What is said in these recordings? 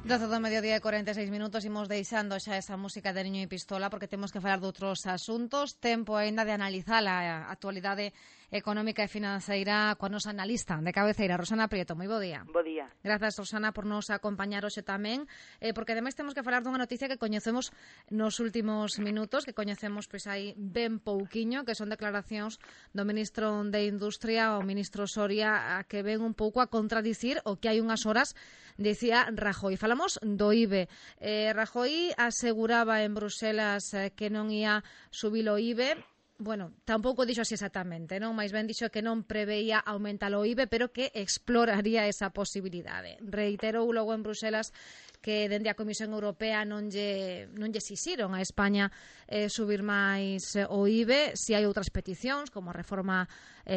12 do mediodía e 46 minutos, imos deixando xa esa música de Niño e Pistola porque temos que falar de outros asuntos. Tempo aínda de analizar a actualidade económica e financeira coa nosa analista de cabeceira, Rosana Prieto. Moi bo día. Bo día. Grazas, Rosana, por nos acompañar hoxe tamén, porque ademais temos que falar dunha noticia que coñecemos nos últimos minutos, que coñecemos pois aí ben pouquiño, que son declaracións do ministro de Industria, o ministro Soria, que ven un pouco a contradicir o que hai unhas horas dicía Rajoy. Falamos do IBE. Rajoy aseguraba en Bruselas que non ia subir o IBE. Bueno, tampouco dixo así exactamente, non? Mais ben dixo que non preveía aumentar o IBE, pero que exploraría esa posibilidade. Reiterou logo en Bruselas que dende a Comisión Europea non lle exixiron a España subir máis o IBE, si hai outras peticións, como a reforma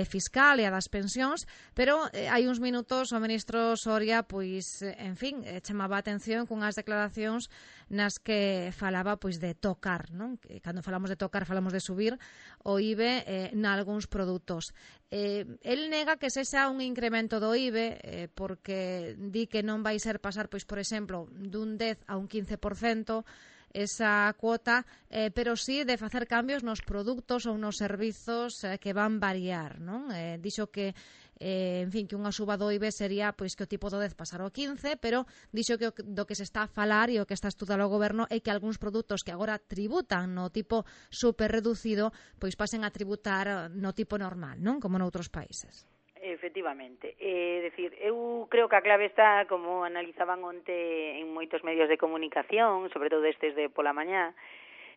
fiscal e a das pensións, pero hai uns minutos o ministro Soria, pois, en fin, chamaba a atención cunhas declaracións nas que falaba pois de tocar, non? Que cando falamos de tocar falamos de subir o IBE nalgúns produtos. El nega que sexa un incremento do IBE porque di que non vai ser pasar, pois, por exemplo, dun 10 a un 15% esa cuota, pero sí de facer cambios nos produtos ou nos servizos que van variar, non? Dixo que en fin, que unha suba do IBE sería pois que o tipo do 10 pasar ao 15, pero dixo que do que se está a falar e o que está a estudar o goberno é que algúns produtos que agora tributan no tipo super reducido, pois pasen a tributar no tipo normal, non? Como noutros países. Efectivamente. Decir, eu creo que a clave está, como analizaban onte en moitos medios de comunicación, sobre todo estes de pola mañá,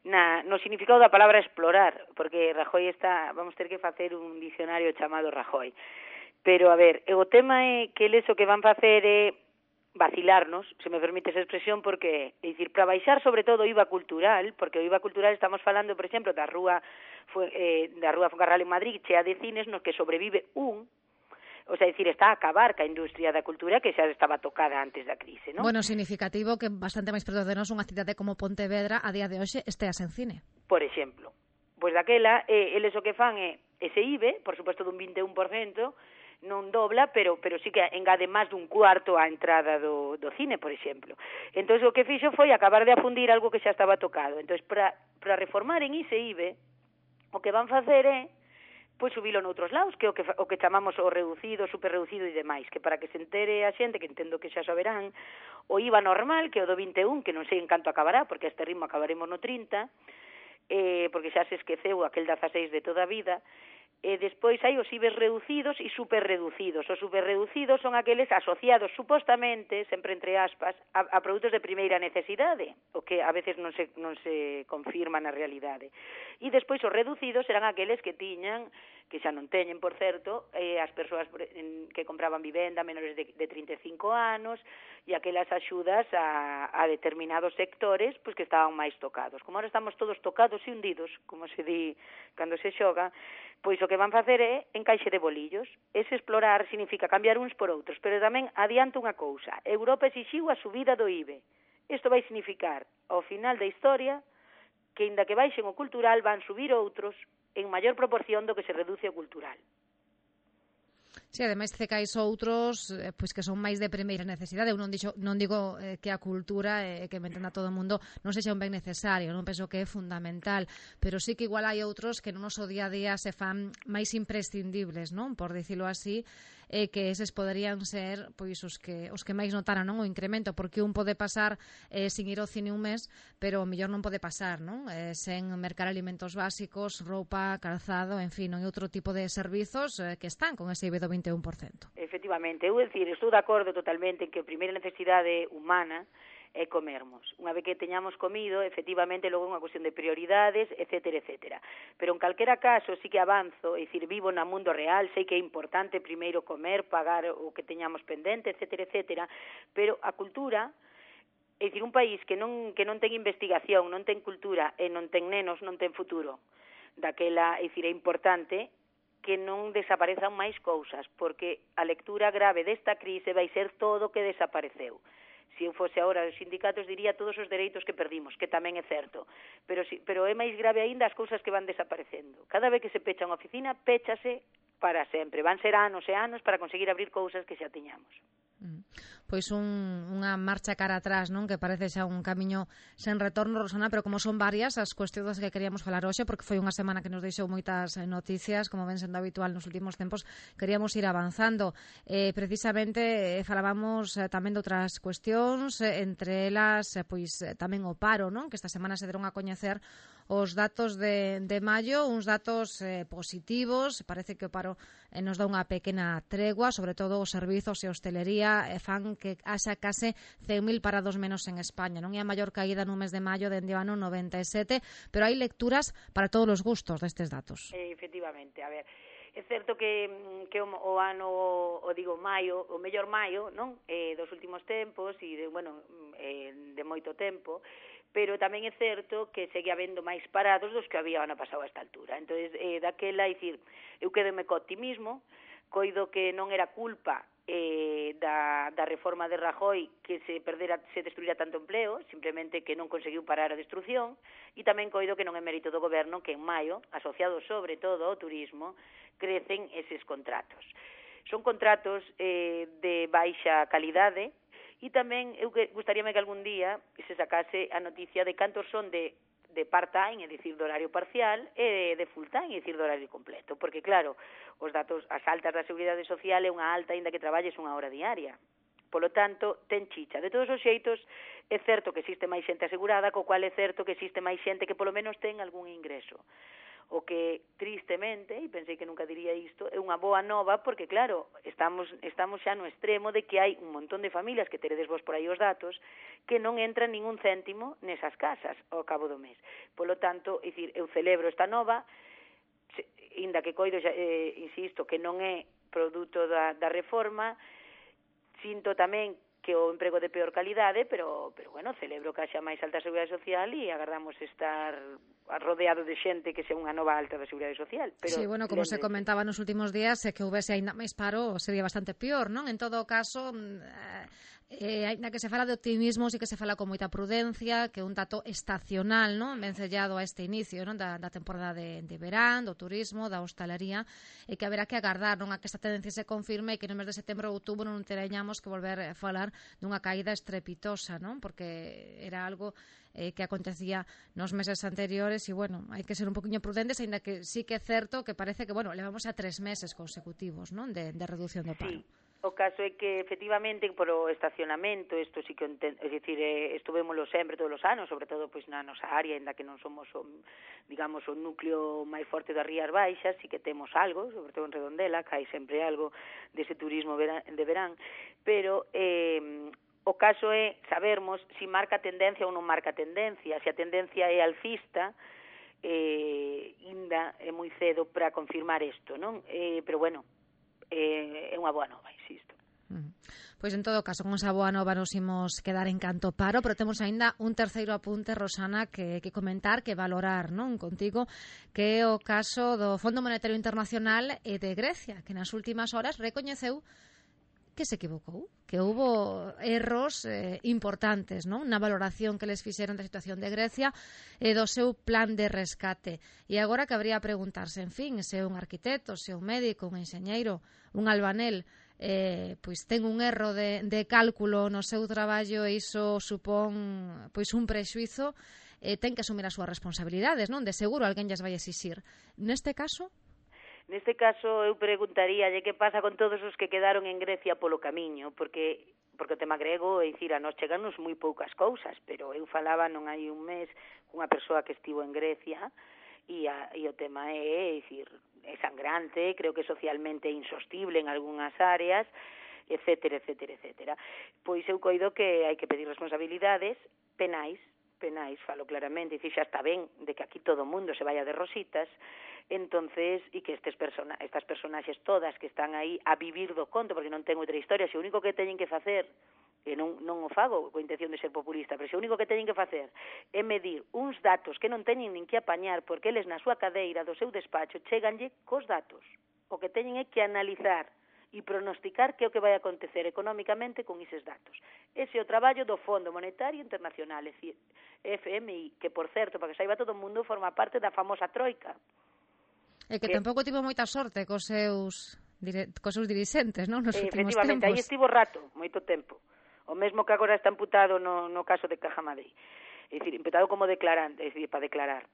no significado da palabra explorar, porque Rajoy vamos ter que facer un dicionario chamado Rajoy. Pero, a ver, o tema é que eles o que van facer é vacilarnos, se me permite esa expresión, porque, é dicir, para baixar sobre todo o IVA cultural, porque o IVA cultural estamos falando, por exemplo, da rúa Foncarral en Madrid, chea de cines, nos que sobrevive o sea, decir, está a acabar ca industria da cultura que xa estaba tocada antes da crise, non? Bueno, significativo que bastante máis preto de nós unha cidade como Pontevedra a día de hoxe estea sen cine. Por exemplo, pois daquela, eles o que fan é ese IBE, por suposto dun 21%, non dobla, pero sí que engade máis dun cuarto á entrada do cine, por exemplo. Entón, o que fixo foi acabar de afundir algo que xa estaba tocado. Entón, para reformar en ese IBE, o que van facer é pois subilo noutros lados, que o que chamamos o reducido, super reducido e demais, que para que se entere a xente, que entendo que xa saberán, o IVA normal, que é o do 21, que non sei en canto acabará, porque a este ritmo acabaremos no 30, porque xa se esqueceu aquel 16 de toda a vida. Despois hai os IBEs reducidos e superreducidos. Os superreducidos son aqueles asociados, supostamente, sempre entre aspas, a produtos de primeira necesidade, o que a veces non se confirma na realidade. E despois os reducidos serán aqueles que tiñan, que xa non teñen, por certo, as persoas que compraban vivenda menores de 35 anos e aquelas axudas a determinados sectores pois que estaban máis tocados. Como ahora estamos todos tocados e hundidos, como se di cando se xoga, pois o que van facer é encaixe de bolillos. Ese explorar significa cambiar uns por outros, pero tamén adianto unha cousa. Europa exixiu a subida do IBE. Isto vai significar, ao final da historia, que inda que baixen o cultural van subir outros en maior proporción do que se reduce o cultural. Si, ademais cecais outros pois que son máis de primeira necesidade. Eu non digo que a cultura que me entenda todo o mundo non sexa un ben necesario, non penso que é fundamental, pero sí que igual hai outros que no noso día a día se fan máis imprescindibles, non? Por dicilo así, que eses poderían ser pois os que máis notaran, non, o incremento, porque un pode pasar sin ir ao cine un mes, pero o mellor non pode pasar, non? Sen mercar alimentos básicos, roupa, calzado, en fin, non hai outro tipo de servizos que están con ese IBE do 21%. Efectivamente, eu estou de acordo totalmente en que a primeira necesidade humana é comermos. Unha vez que teñamos comido, efectivamente, logo é unha cuestión de prioridades, etcétera, etcétera. Pero en calquera caso sí que avanzo, é dicir, vivo no mundo real, sei que é importante primeiro comer, pagar o que teñamos pendente, etcétera, etcétera, pero a cultura, é dicir, un país que non ten investigación, non ten cultura e non ten nenos, non ten futuro. Daquela, é dicir, é importante que non desaparezan máis cousas, porque a lectura grave desta crise vai ser todo o que desapareceu. Se eu fose agora os sindicatos diría todos os dereitos que perdimos, que tamén é certo, pero é máis grave aínda as cousas que van desaparecendo. Cada vez que se pecha unha oficina, péchase para sempre. Van ser anos e anos para conseguir abrir cousas que xa tiñamos. pois unha marcha cara atrás, non? Que parece xa un camiño sen retorno, Rosana, pero como son varias as cuestións que queríamos falar hoxe, porque foi unha semana que nos deixou moitas noticias, como ven sendo habitual nos últimos tempos, queríamos ir avanzando. Precisamente falábamos tamén de outras cuestións, entre elas pois tamén o paro, non? Que esta semana se deron a coñecer os datos de maio, uns datos positivos. Parece que o paro nos dá unha pequena tregua, sobre todo os servizos e hostelería fan que haxa case 100.000 parados menos en España. Non é a maior caída no mes de maio dende o ano 97, pero hai lecturas para todos os gustos destes datos. Efectivamente, a ver, é certo que o ano, maio, o mellor maio, non? Dos últimos tempos e de moito tempo, pero tamén é certo que segue habendo máis parados dos que había o ano pasado a esta altura. Entonces, daquela, dicir, eu quedome co optimismo, coido que non era culpa da reforma de Rajoy que se destruíra tanto empleo, simplemente que non conseguiu parar a destrucción, e tamén coido que non é mérito do goberno que en maio, asociados sobre todo ao turismo, crecen eses contratos. Son contratos de baixa calidade, e tamén eu gustaríame que algún día se sacase a noticia de cantos son de part-time, é dicir, de horario parcial, e de full-time, é dicir, de horario completo. Porque, claro, os datos, as altas da Seguridade Social é unha alta aínda que traballes unha hora diaria. Polo tanto, ten chicha. De todos os xeitos, é certo que existe máis xente asegurada, co cual é certo que existe máis xente que polo menos ten algún ingreso. O que, tristemente, e pensei que nunca diría isto, é unha boa nova porque, claro, estamos xa no extremo de que hai un montón de familias, que teredes vos por aí os datos, que non entran ningún céntimo nesas casas ao cabo do mes. Polo tanto, é dicir, eu celebro esta nova, inda que coido, insisto, que non é produto da reforma, sinto tamén que o emprego de peor calidade, pero bueno, celebro que haxa máis alta Seguridade Social e agardamos estar rodeado de xente que sea unha nova alta da Seguridade Social. Pero, sí, bueno, como se comentaba nos últimos días, que houvese aínda máis paro sería bastante peor, non? En todo caso, aínda que se fala de optimismo, sí que se fala con moita prudencia, que é un dato estacional, non? Vencellado a este inicio, non? Da temporada de verán, do turismo, da hostalería, e que haberá que agardar, non? A que esta tendencia se confirme e que no mes de setembro ou outubro non teñamos que volver a falar dunha caída estrepitosa, non? Porque era algo que acontecía nos meses anteriores e, bueno, hai que ser un poquinho prudentes, aínda que sí que é certo que parece que, bueno, levamos a 3 meses consecutivos, non? De reducción do paro. Sí. O caso é que, efectivamente, por o estacionamento, isto sí que, é dicir, estuvémoslo sempre todos os anos, sobre todo pois na nosa área, ainda que non somos, digamos, o núcleo máis forte das Rías Baixas, sí que temos algo, sobre todo en Redondela, que hai sempre algo dese turismo de verán, pero o caso é sabermos se marca tendencia ou non marca tendencia. Se a tendencia é alcista, ainda é moi cedo para confirmar isto, non? Pero bueno, é unha boa nova, insisto. Pois en todo caso, con esa boa nova nos imos quedar en canto paro, pero temos aínda un terceiro apunte, Rosana, que comentar, que valorar, non, contigo, que é o caso do Fondo Monetario Internacional e de Grecia, que nas últimas horas recoñeceu que se equivocou, que houbo erros importantes, non? Na valoración que les fixeron da situación de Grecia e do seu plan de rescate. E agora cabría preguntarse, en fin, se un arquitecto, se un médico, un enxeñeiro, un albanel, pois ten un erro de cálculo no seu traballo e iso supón pois un prexuizo, ten que asumir as súas responsabilidades, non? De seguro alguén lles vai exixir. Neste caso? Neste caso, eu preguntaríalle que pasa con todos os que quedaron en Grecia polo camiño, porque o tema grego, é dicir, a nos cheganos moi poucas cousas, pero eu falaba non hai un mes cunha persoa que estivo en Grecia e o tema é dicir, é sangrante, creo que socialmente é insostible en algunhas áreas, etcétera, etcétera, etcétera. Pois eu coido que hai que pedir responsabilidades penais, falo claramente, dicir, xa está ben de que aquí todo o mundo se vaya de rositas, entonces, e que estas personaxes todas que están aí a vivir do conto, porque non ten outra historia, se o único que teñen que facer, e non o fago coa intención de ser populista, pero se o único que teñen que facer é medir uns datos que non teñen nin que apañar, porque eles na súa cadeira do seu despacho cheganlle cos datos. O que teñen é que analizar e pronosticar que é o que vai acontecer económicamente con eses datos. Ese é o traballo do Fondo Monetario Internacional, é dicir, FMI, que, por certo, para que saiba todo o mundo, forma parte da famosa troika. E que tampouco tivo moita sorte cos seus dirixentes, non? Nos últimos tempos. Efectivamente, aí estivo rato, moito tempo. O mesmo que agora está imputado no caso de Cajamadrid. É dicir, imputado como declarante, é dicir, para declarar.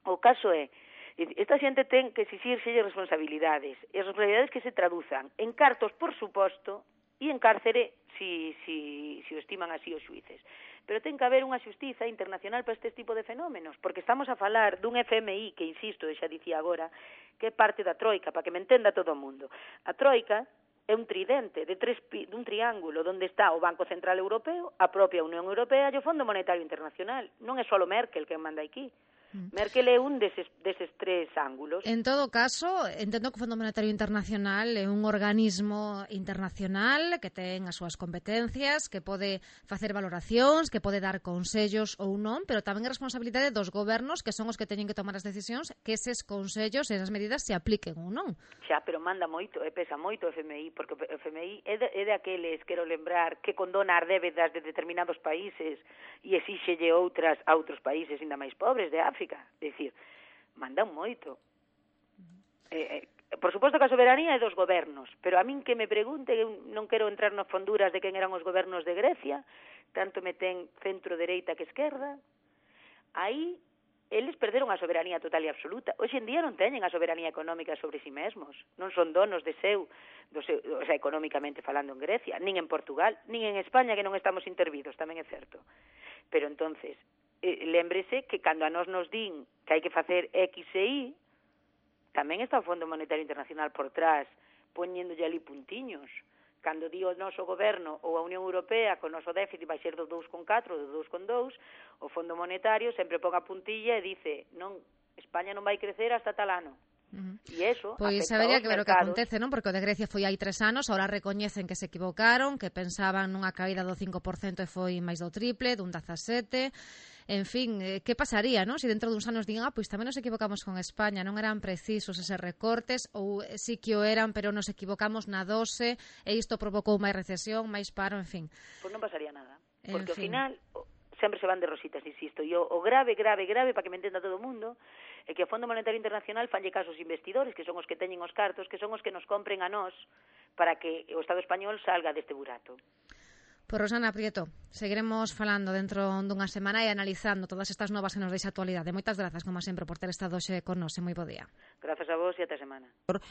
O caso é, esta xente ten que exixirse responsabilidades, e as responsabilidades que se traduzan en cartos, por suposto, e en cárcere, si o estiman así os xuíces. Pero ten que haber unha xustiza internacional para este tipo de fenómenos, porque estamos a falar dun FMI que, insisto, xa dicía agora, que é parte da Troika, para que me entenda todo o mundo. A Troika é un tridente dun triángulo onde está o Banco Central Europeo, a propia Unión Europea e o Fondo Monetario Internacional. Non é só Merkel quen manda aquí. Merkel é un deses tres ángulos. En todo caso, entendo que o Fondo Monetario Internacional é un organismo internacional que ten as súas competencias, que pode facer valoracións, que pode dar consellos ou non, pero tamén é responsabilidade dos gobernos, que son os que teñen que tomar as decisións, que eses consellos e esas medidas se apliquen ou non. Xa, pero manda moito, pesa moito o FMI, porque o FMI é de aqueles, quero lembrar, que condona as débedas de determinados países e exíxelle outras a outros países ainda máis pobres de África. É dicir, mandan moito. Por suposto que a soberanía é dos gobernos, pero a min que me pregunte, eu non quero entrar nas fonduras de quen eran os gobernos de Grecia, tanto me ten centro-dereita que esquerda, aí eles perderon a soberanía total e absoluta. Hoxe en día non teñen a soberanía económica sobre si mesmos, non son donos de seu, o sea, económicamente falando en Grecia, nin en Portugal, nin en España, que non estamos intervidos, tamén é certo. Pero entonces, lémbrese que cando a nos din que hai que facer X e Y, tamén está o Fondo Monetario Internacional por trás, poñéndolle ali puntiños. Cando di o noso goberno ou a Unión Europea que o noso déficit vai ser do 2,4 ou do 2,2, o Fondo Monetario sempre pon a puntilla e dice, non, España non vai crecer hasta tal ano. E eso pois habería que ver o que acontece, non? Porque o de Grecia foi hai 3 anos, ahora recoñecen que se equivocaron, que pensaban nunha caída do 5% e foi máis do triple, dun 17%. En fin, que pasaría, non? Se dentro duns anos digan, pois tamén nos equivocamos con España, non eran precisos eses recortes, ou sí que o eran, pero nos equivocamos na dose, e isto provocou máis recesión, máis paro, en fin. Pois non pasaría nada, porque ao final sempre se van de rositas, insisto, e o grave, para que me entenda todo o mundo, é que o Fondo Monetario Internacional fanlle caso aos investidores, que son os que teñen os cartos, que son os que nos compren a nós, para que o Estado español salga deste burato. Pois Rosana Prieto, seguiremos falando dentro dunha semana e analizando todas estas novas que nos deixa a actualidade. Moitas grazas, como sempre, por ter estado hoxe con nós. Moi bo día. Grazas a vos e ata semana.